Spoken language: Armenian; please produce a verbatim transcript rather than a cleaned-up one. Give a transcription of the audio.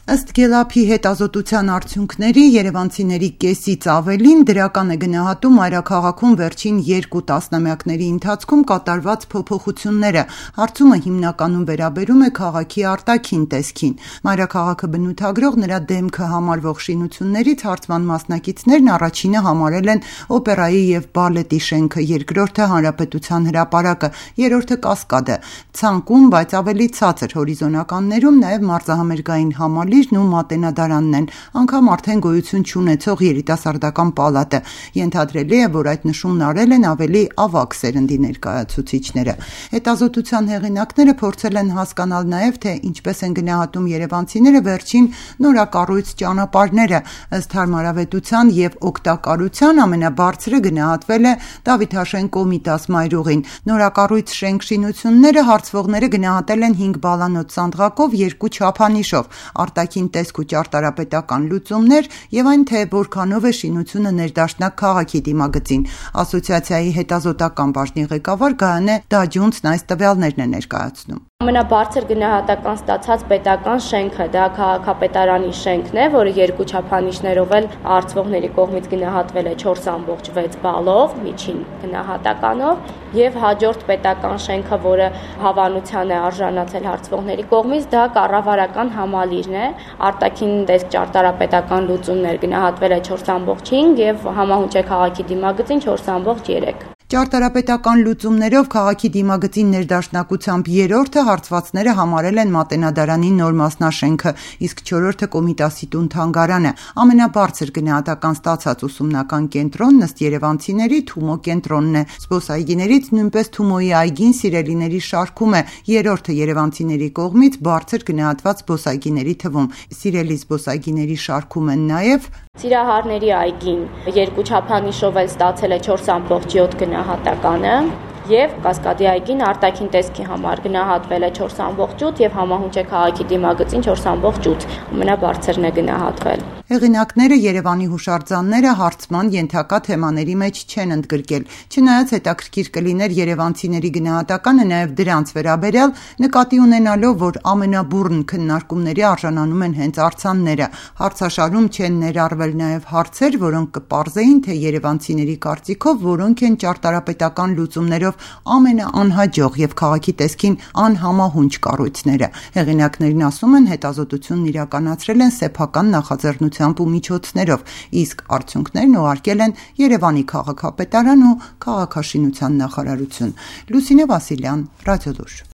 Ըստ Գելափի հետազոտության արդյունքների, երևանցիների կեսից ավելին դրական է գնահատում մայրաքաղաքում վերջին երկու տասնամյակների ընթացքում կատարված փոփոխությունները։ Հարցումը հիմնականում վերաբերում է քաղաքի արտաքին տեսքին։ Մայրաքաղաքը բնութագրող նրա դեմքը համարվող շինություններից հարցման մասնակիցներն առաջինը համարել են օպերայի և բալետի շենքը, երկրորդը Հանրապետության հրապարակը, երրորդը Կասկադը։ Ցանկում, բայց ավելի ցածր հորիզոնականներում նաև Մարզահամերգային համալիրն ու Մատենադարանն են, անգամ արդեն գոյություն չունեցող երիտասարդական պալատը։ Ենթադրելի է, որ այդ նշումն արել են ավելի ավագ սերնդի ներկայացուցիչները։ Հետազոտության հեղինակները փորձել են հասկանալ նաև, թե ինչպես են գնահատում երևանցիները վերջին նորակառույց ճանապարհները։ Ըստ հարմարավետության և օգտակարության ամենաբարձրը գնահատվել է Դավիթաշեն Կոմիտաս մայրուղին։ Նորակառույց շենք-շինությունները հարցվողները գնահատել են հինգ բալանոց սանդղակով, երկու չափանիշով՝ արտաքին տեսք ու ճարտարապետական լուծումներ և այն, թե որքանով է շինությունը ներդաշնակ քաղաքի դիմագծին։ Ասոցիացիայի հետազոտական բաժնի ղեկավար Գայանե Դաջունցն այս տվյալներն է ներկայացնում։ Ամենաբարձր գնահատական ստացած պետական շենքը դա քաղաքապետարանի շենքն է, որը երկու չափանիշներով էլ հարցվողների կողմից գնահատվել է չորս ամբողջ վեց բալով, միջին գնահատականով, եւ հաջորդ պետական շենքը, որը հավանության է արժանացել հարցվողների կողմից, դա կառավարական համալիրն է, արտաքին տեսք ճարտարապետական լուծումներ գնահատվել է չորս ամբողջ հինգ եւ համահունչ է քաղաքի դիմագծին չորս ամբողջ երեք։ Ճարտարապետական լուծումներով քաղաքի դիմագծին ներդաշնակությամբ երրորդը հարցվածները համարել են Մատենադարանի նոր մասնաշենքը, իսկ չորրորդը Կոմիտասի տուն-թանգարանը։ Ամենաբարձր գնահատական ստացած ուսումնական կենտրոնն ըստ երևանցիների Թումո կենտրոնն է։ Զբոսայգիներից նույնպես Թումոյի այգին սիրելիների շարքում է, երրորդը երևանցիների կողմից բարձր գնահատված զբոսայգիների թվում։ Սիրելի զբոսայգիների շարքում են նաև Սիրահարների այգին երկու չափանիշով էլ ստացել է չորս ամբողջ յոթ գնահատականը եւ Կասկադի այգին արտաքին տեսքի համար գնահատվել է չորս ամբողջ ութ եւ համահունչ է քաղաքի դիմագծին չորս ամբողջ ութ, ամենաբարձրն է գնահատվել։ Հեղինակները Երևանի հուշարձանները հարցման ենթակա թեմաների մեջ չեն ընդգրկել։ Չնայած հետաքրքիր կլիներ երևանցիների գնահատականը նաև դրանց վերաբերյալ, նկատի ունենալով, որ ամենաբուռն քննարկումների արժանանում են հենց արձանները։ Հարցաշարում չեն ներառվել նաև հարցեր, որոնք կպարզեին, թե երևանցիների կարծիքով որոնք են ճարտարապետական լուծումներով ամենաանհաջող եւ քաղաքի տեսքին անհամահունչ կառույցները։ Հեղինակներն ասում են, հետազոտությունն իրականացրել են սեփական նախաձեռնությամբ ու միջոցներով, իսկ արդյունքներն ուղարկել են Երևանի քաղաքապետարան ու քաղաքաշինության նախարարություն։ Լուսինե Վասիլյան, Ռադիոլուր։